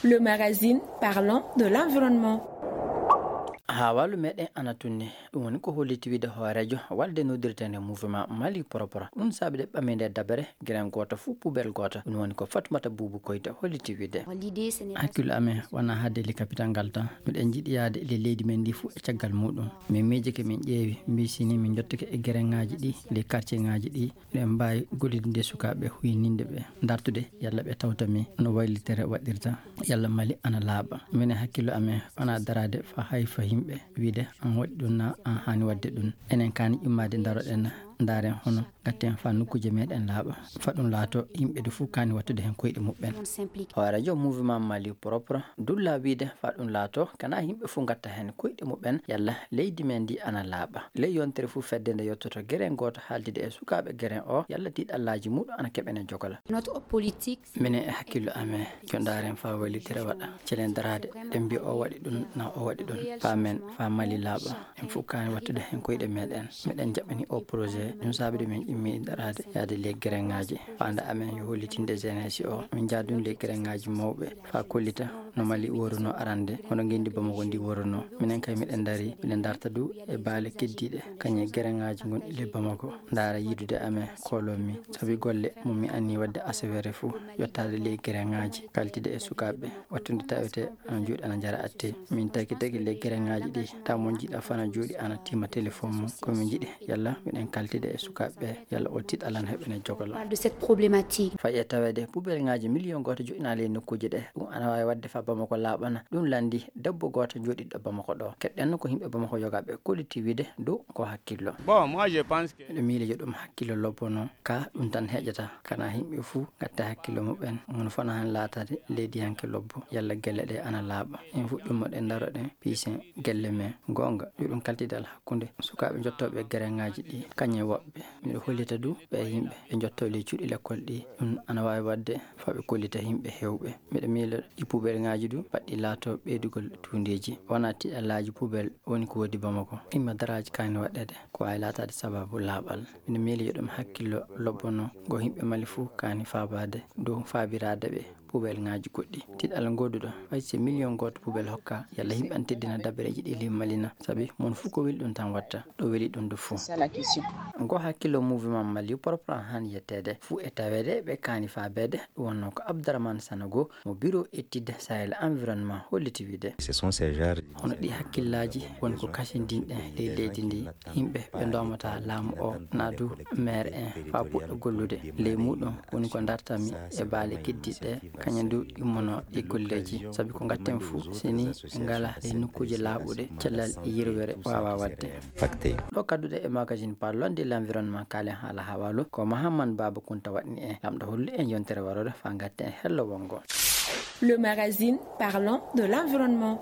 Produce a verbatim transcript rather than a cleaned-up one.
Le magazine parlant de l'environnement. Haa walu meɗen ana tunni, ɗum woni ko holliti wiide hooreejo walde noddirteende mouvement Mali Propre. Ɗum saabi de ɓami nde dabere, geren gooto fuu pubel gooto. Ɗum woni ko Fatmata Buubu Koyta holliti wiide. Hakkillo amen wona hade le capital ngal tan. Miɗen njiɗi yaade le leydi men ndi fuu e caggal muɗum. Min miijike, min ƴeewi, mbi sini min njottike e gereŋaaji ɗi, le quartier ŋaaji ɗi, ɓe mbaawi gollidinde sukaaɓe, huyninde ɓe, dartude yalla ɓe tawta mi no waylitere waɗirta, yalla Mali ana laaɓa. Minen hakkillo amen wona daraade fa hay fa yimɓe wiide an waɗi ɗum na an haani waɗde ɗum. Enen kaani ƴummaade ndaroɗen, ndaaren hono ngatten fa nokkuuje meɗen laaɓa. Fa ɗum laato yimɓe du fuu kaani wattude heen koyɗe muɓɓen. Hooreejo mouvement Mali Propre dulla wiide fa ɗum laato kana yimɓe fuu ngatta heen koyɗe muɓɓen yalla leydi men ndi ana laaɓa. Ley yontere fuu fedde nde yottoto geren gooto haaldude e sukaaɓe geren o yalla tiiɗallaaji muɗum ana keɓene jogola. Minen e hakkillo amen, yo ndaaren fa waylitere waɗa. Celen daraade, ɗen mbiya o waɗi ɗum, na o waɗi ɗum. Fa men, fa Mali laaɓa. En fuu kaani wattude heen koyɗe meɗen. Meɗen jaɓɓini o projet, ɗum saabi de min ƴummi daraade yaade le gereŋaaji. Faande amen yo hollitinde jeunesse o. Min njaha ɗum le gereŋaaji mawɓe, fa kollita no Mali woruno arande, hono ngenndi Bamako ndi woruno. Minen kay miɗen dari, miɗen darta du e baale keddiiɗe, kañe gereŋaaji ngonɗi le Bamako. Ndaara yidude amen, kooloo mi. Sabi golle mo mi anni waɗde asawere fuu, yottaade le gereŋaaji, kaltide e sukaaɓe, wattude tawete ana juuɗe ana njara atte. Min tagi tagi le gereŋaaji ɗi, taw mo jiɗa fana jooɗi ana tima téléphone mum. Ko min jiɗi, yalla miɗen kaltide e sukaaɓe, yalla o tiiɗalla heɓene jogolo. Parle de cette problématique. Fayi e taweede pubelŋaaji miliyon gooto joɗɗinaali e nokkuuje ɗe. Ɗum ana waawi waɗde fa Bamako laaɓana. Ɗum lanndi debbo gooto jooɗiiɗo Bamako ɗo. Keɗɗen ko yimɓe Bamako yogaaɓe kolliti wiide dow ko hakkillo. Bon, moi, je pense que Miɗo miili yo ɗum hakkillo lobbono. Ka ɗum tan heƴata. Kana yimɓe fuu ngatta hakkillo muɓɓen. Mun fana han laatade leydiyanke lobbo. Yalla gelle ɗe ana laaɓa. En fuɗɗumo ɗe ndaroɗen piisen gelle men. Goonga, yo ɗum kaltidal hakkunde sukaaɓe jottooɓe gereŋaaji ɗi, kañe woɓɓe. Miɗo hollita du ɓe yimɓe ɓe jottoo ley cuuɗi lekkol ɗi. Ɗum ana waawi waɗde fa ɓe kollita yimɓe heewɓe. Miɗo miila ɗi pubelŋaaji du baɗɗi laato ɓeydugol tuundeeji. Wona tiiɗallaaji pubel woni ko woodi Bamako. Imma daraaji kaani waɗɗeede, ko waawi laataade sababu laaɓal. Miɗo miila yo ɗum hakkillo lobbono ngo yimɓe Mali fuu kaani faabaade dow faabiraade ɓe pubelŋaaji goɗɗi. Tiiɗal ngoduɗo, fay si miliyon gooto pubel hokka, yalla yimɓe an teddina dabareeji ɗi ley Mali na. Sabi mon fuu ko weli ɗum tan watta, ɗo weli ɗum du fuu. Ngo hakkillo mouvement Mali Propre han yetteede fuu e taweede ɓe kaani faabeede, ɗum wonno ko Abdourahmane Sanogo mo bureau étude Sahel environnement holliti wiide. Ce sont ces genres de Hono ɗi hakkillaaji woni ko kasindinɗen ley leydi ndi, yimɓe ɓe ndoomata laamu o, na du maire en, fa puɗɗo gollude. Ley muɗum woni ko dartami e baale keddiiɗe, kañum du immono e golleeji. Sabi ko ngatten fuu, sini ngala ley nokkuuje laaɓuɗe, cellal e yirwere waawa waɗde. Ɗo kadduɗe e magazine Parlons de l'environnement, kaalen haala hawaalu, ko Mahamman Baaba Kunta waɗni en. Lamɗo hollu en yontere warore fa ngatten hello wongo. Le magazine Parlons de l'environnement.